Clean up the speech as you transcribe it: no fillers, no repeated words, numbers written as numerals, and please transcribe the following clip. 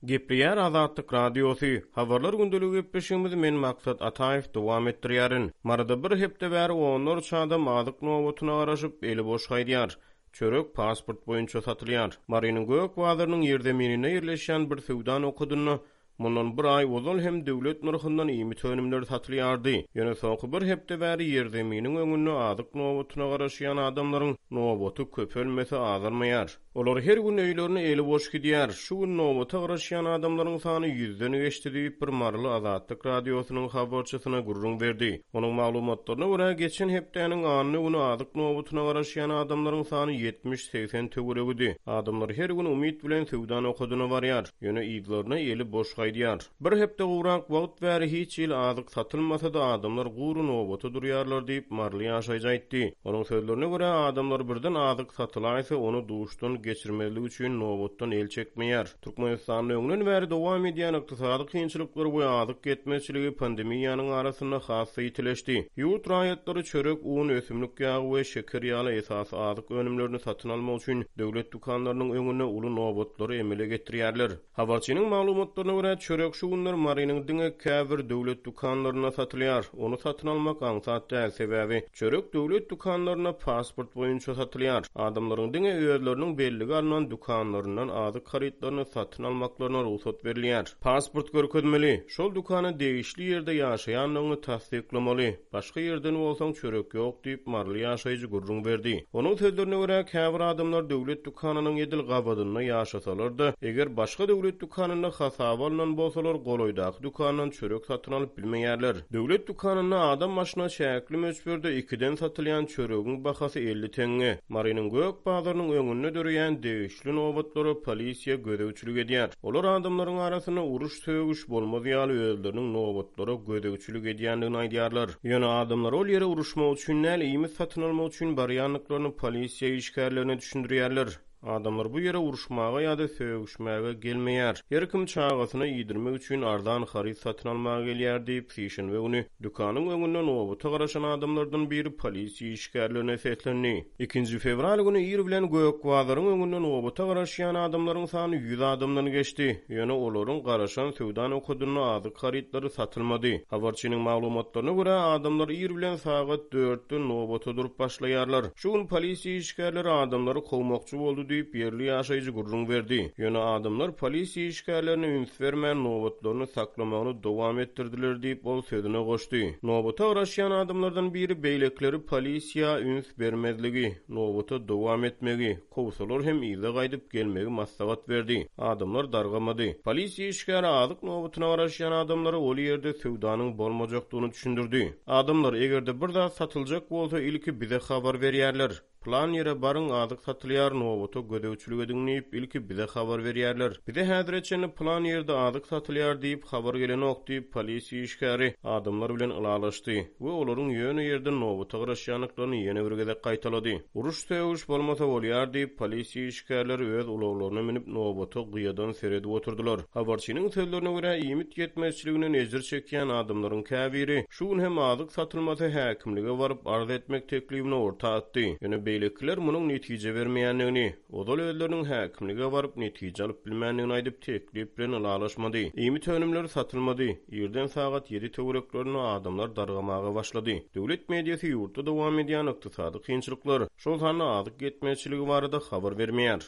Gepleýär Azatlyk Radiosy, Habarlar gündeligi gepleşigimizi men Maksat Ataýew dowam etdirýärin. Maryda bir hepde bäri onlarça adam azyk nobatyna garaşyp, eli boş gaýdýar. Çörek pasport boýunça satylýar. Marynyň Gök bazarynyň ýerzemininde ýerleşýän bir söwda nokadynda mundan bir aý ozal hem döwlet nyrhyndan iýmit önümleri satylýardy. Ýöne soňky bir hepde bäri ýerzeminiň öňünde azyk nobatyna garaşýan adamlaryň nobaty köpelmese azalmaýar. Olar her gün öýlerine eli boş gidýär. Şu gün nobata garaşýan adamlaryň sany ýüzden geçdi diýip, bir maryly Azatlyk Radiosynyň habarçysyna gürrüň berdi. Onuň maglumatlaryna görä, geçen hepdäniň anna güni azyk nobatyna garaşýan adamlaryň sany ýetmiş-segsen töweregidi. Adamlar her gün umyt bilen söwda nokadyna barýar, ýöne yzlaryna eli boş gaýdýar. Bir hepde gowrak wagt bäri hiç hili azyk satylmasa-da, adamlar gury nobata durýarlar diýip, maryly ýaşaýjy aýtdy. Onuň sözlerine görä, adamlar birden azyk satylaýsa, ony duşdan geçirmezlik üçin nobatdan el çekmeýär. Türkmenistanda öňden bäri dowam edýän ykdysady kynçylyklar we azyk ýetmezçiligi pandemiýanyň arasynda has-da ýitileşdi. Ýurt raýatlary çörek, un, ösümlik ýagy we şeker ýaly esasy azyk önümlerini satyn almak üçin döwlet dükanlarynyň öňünde uly nobatlary emele getirýärler. Habarçynyň maglumatlaryna görä, çörek şu günler Marynyň diňe käbir döwlet dükanlarynda satylýar. Ony satyn almak aňsat däl, sebäbi çörek döwlet dükanlarynda pasport boýunça satylýar. Adamlaryň diňe özleriniň bellige alnan dükanlaryndan azyk harytlaryny satyn almaklaryna rugsat berilýär. Pasport görkezmeli, şol dükana degişli ýerde ýaşaýandygyňy tassyklamaly. Başga ýerden bolsaň çörek ýok diýip, maryly ýaşaýjy gürrüň berdi. Onuň sözlerine görä, käbir adamlar döwlet dükanynyň edil gabadynda ýaşasalar-da, eger başga döwlet dükanynda hasaba alnan bolsalar, golaýdaky dükandan çörek satyn alyp bilmeýärler. Döwlet dükanynda adam başyna çäkli möçberde ikiden satylýan çöregiň bahasy 50 teňňe. Marynyň Gök bazarynyň öňünde döreýän degişli nobatlara polisiýa gözegçilik edýär. Olar adamlaryň arasynda uruş-sögüş bolmaz ýaly özleriniň nobatlara gözegçilik edýändigini aýdýarlar. Ýöne adamlar ol ýere uruşmak üçin däl, iýmit satyn almak üçin barýandyklaryny polisiýa işgärlerine düşündirýärler. Adamlar bu ýere uruşmaga ýa-da sögüşmäge gelmeýär. Her kim çagasyna iýdirmek üçin arzan haryt satyn almaga gelýär diýip, sişenbe güni Dükanyň öňünde nobata garaşan adamlardan biri polisiýa işgärlerine seslendi. Ikinji fewral güni ir bilen Gök bazaryň öňünde nobata garaşýan adamlaryň sany ýüz adamdan geçdi. Ýöne olaryň garaşan söwda nokadynda azyk harytlary satylmady. Habarçynyň maglumatlaryna görä, adamlar ir bilen sagat dörtden nobata durup başlaýarlar. Şu gün polisiýa işgärleri adamlary kowmakçy boldy diýip, ýerli ýaşaýjy gürrüň berdi. Ýöne adamlar polisiýa işgärlerine üns bermän, nobatlaryny saklamagyny dowam etdirdiler diýip, ol sözüne goşdy. Nobata garaşýan adamlardan biri beýlekileri polisiýa üns bermezligi, nobata dowam etmegi, kowsalar hem yza gaýdyp gelmegi maslahat berdi. Adamlar dargamady. Polisiýa işgäri azyk nobatyna garaşýan adamlara ol ýerde söwdanyň bolmajakdygyny düşündirdi. Adamlar, eger-de bir zat satyljak bolsa, ilki bize habar berýärler. Pylan ýere baryň, azyk satylýar, nobata gözegçilik ediň diýip, ilki bize habar berýärler. Bize häzire çenli pylan ýerde azyk satylýar diýip, habar gelenok diýip, polisiýa işgäri adamlar bilen ylalaşdy we olaryň ýöne ýerden nobata garaşýandyklaryny ýene bir gezek gaýtalady. Uruş-sögüş bolmasa bolýar diýip, polisiýa işgärleri öz ulaglaryna münüp, nobata gyýadan seredip oturdylar. Habarçynyň sözlerine görä, iýmit ýetmezçiliginden ejir çekýän adamlaryň käbiri Şu gün hem azyk satylmasa häkimlige baryp arz etmek teklibini orta atdy. Ýöne beýlekiler munuň netije bermeýändigini, ozal özleriniň häkimlige baryp netije alyp bilmändigini aýdyp teklip bilen ylalaşmady. Iýmit önümleri satylmady. Irden sagat ýedi töwereklerinde adamlar dargamaga başlady. Döwlet mediasy ýurtda dowam edýän ykdysady kynçylyklar, şol sanda azyk ýetmezçiligi barada habar bermeýär.